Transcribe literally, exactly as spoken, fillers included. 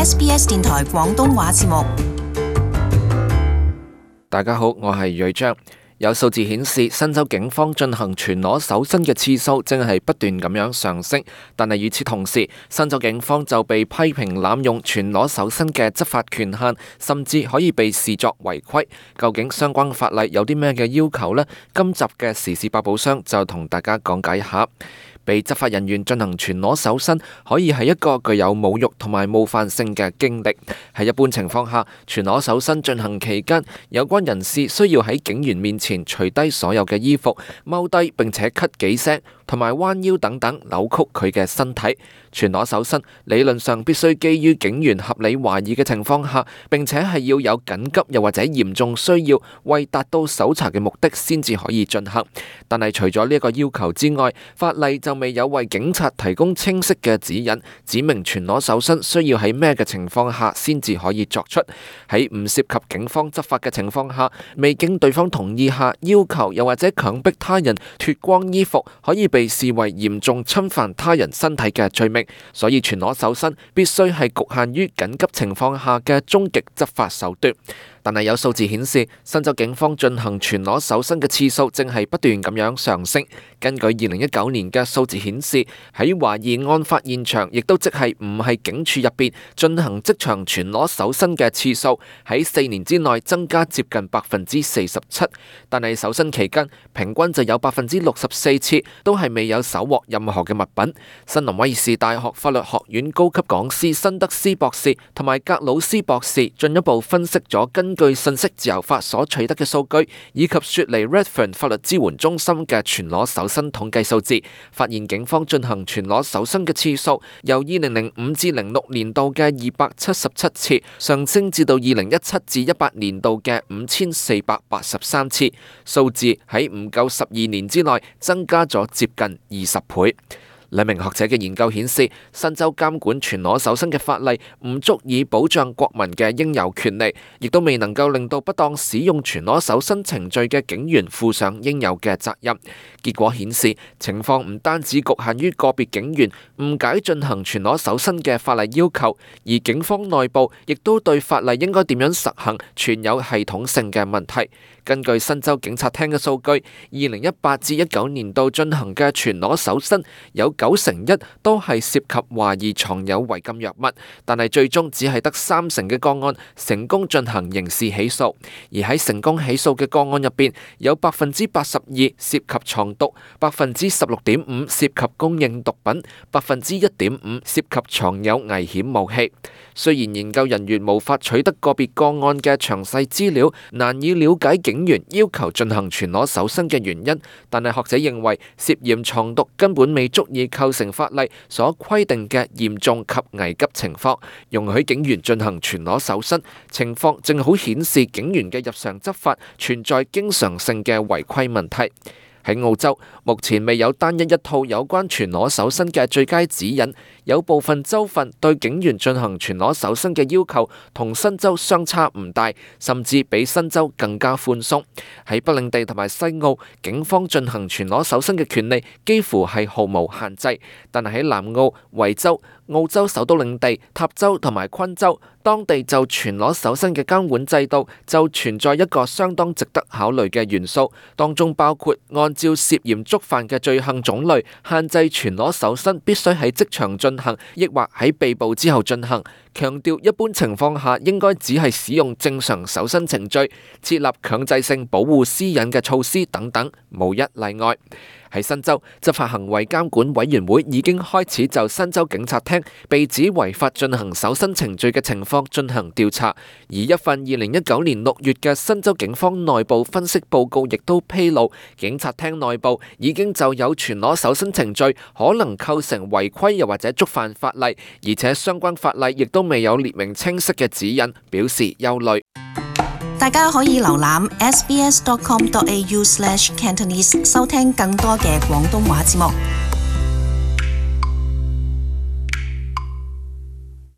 S B S 電台廣東話節目。大家好，我係瑞章。有數字顯示，新州警方進行全裸搜身嘅次數正係不斷咁樣上升，但係與此同時，新州警方就被批評濫用全裸搜身嘅執法權限，甚至可以被視作違規。究竟相關法例有啲咩嘅要求呢？今集嘅時事百寶箱就同大家講解一下。被執法人員進行全裸搜身，可以係一個具有侮辱同埋冒犯性嘅經歷。喺一般情況下，全裸搜身進行期間，有關人士需要喺警員面前除低所有嘅衣服，踎低並且咳幾聲，同埋彎腰等等扭曲佢嘅身體。全裸搜身理論上必須基於警員合理懷疑嘅情況下，並且係要有緊急又或者嚴重需要，為達到搜查嘅目的先至可以進行。但係除咗呢一個要求之外，法例就未有為警察提供清晰嘅指引，指明全裸搜身需要喺咩嘅情況下先至可以作出。喺唔涉及警方執法嘅情況下，未經對方同意下要求又或者強迫他人脫光衣服，可以被視為嚴重侵犯他人身體嘅罪名。所以全裸搜身必須係局限於緊急情況下嘅終極執法手段。但係有數字顯示，新州警方進行全裸搜身嘅次數正係不斷咁樣上升。根據二零一九年嘅數字顯示，喺懷疑案發現場，亦都即係唔係警署入邊進行即場全裸搜身嘅次數，喺四年之內增加接近百分之四十七。但係搜身期間，平均就有百分之六十四次都係未有搜獲任何嘅物品。新南威爾士大學法律學院高級講師辛德斯博士同埋格魯斯博士進一步分析咗根據信息自由法所取得嘅數據，以及雪梨 Redfern 法律支援中心嘅全裸搜身統計數字，發現警方進行全裸搜身嘅次數由二零零五至零六年度嘅二百七十七次上升至到二零一七至一八年度嘅五千四百八十三次，數字喺唔夠十二年之內增加咗接近二十倍。兩名學者嘅研究顯示，新州監管全裸搜身嘅法例唔足以保障國民嘅應有權利，亦都未能夠令到不當使用全裸搜身程序嘅警員負上應有嘅責任。結果顯示，情況唔單止局限於個別警員誤解進行全裸搜身嘅法例要求，而警方內部亦都對法例應該點樣實行存有系統性嘅問題。根據新州警察廳嘅數據，二零一八至一九年度進行嘅全裸搜身有九成一都係涉及懷疑藏有違禁藥物，但係最終只係得三成嘅個案成功進行刑事起訴。而喺成功起訴嘅個案入邊，有百分之八十二涉及藏毒，百分之十六點五涉及供應毒品，百分之一點五涉及藏有危險武器。雖然研究人員無法取得個別個案嘅詳細資料，難以了解警員要求進行全裸搜身嘅原因，但係學者認為涉嫌藏毒根本未足以構成法例所規定嘅嚴重及危急情況，容許警員進行全裸搜身，情況正好顯示警員嘅日常執法存在經常性嘅違規問題。喺澳洲，目前未有單一一套有關全裸搜身嘅最佳指引，有部分州份對警員進行全裸搜身嘅要求同新州相差唔大，甚至比新州更加寬鬆。喺北領地同埋西澳，警方進行全裸搜身嘅權利幾乎係毫無限制，但係喺南澳、維州、澳洲首都領地、塔州同埋昆州，當地就全裸搜身嘅監管制度就存在一個相當值得考慮嘅元素，當中包括按照涉嫌觸犯嘅罪行種類，限制全裸搜身必須喺即場進行，抑或喺被捕之後進行，強調一般情況下應該只係使用正常搜身程序，設立強制性保護私隱嘅措施等等，無一例外。喺新州，執法行為監管委員會已經開始就新州警察廳被指違法進行搜身程序嘅情況進行調查，而一份二零一九年六月嘅新州警方內部分析報告亦都披露，警察廳內部已經就有全裸搜身程序可能構成違規又或者觸犯法例，而且相關法例亦都未有列明清晰嘅指引，表示憂慮。大家可以瀏覽 s b s dot com dot a u slash cantonese 收聽更多嘅廣東話節目。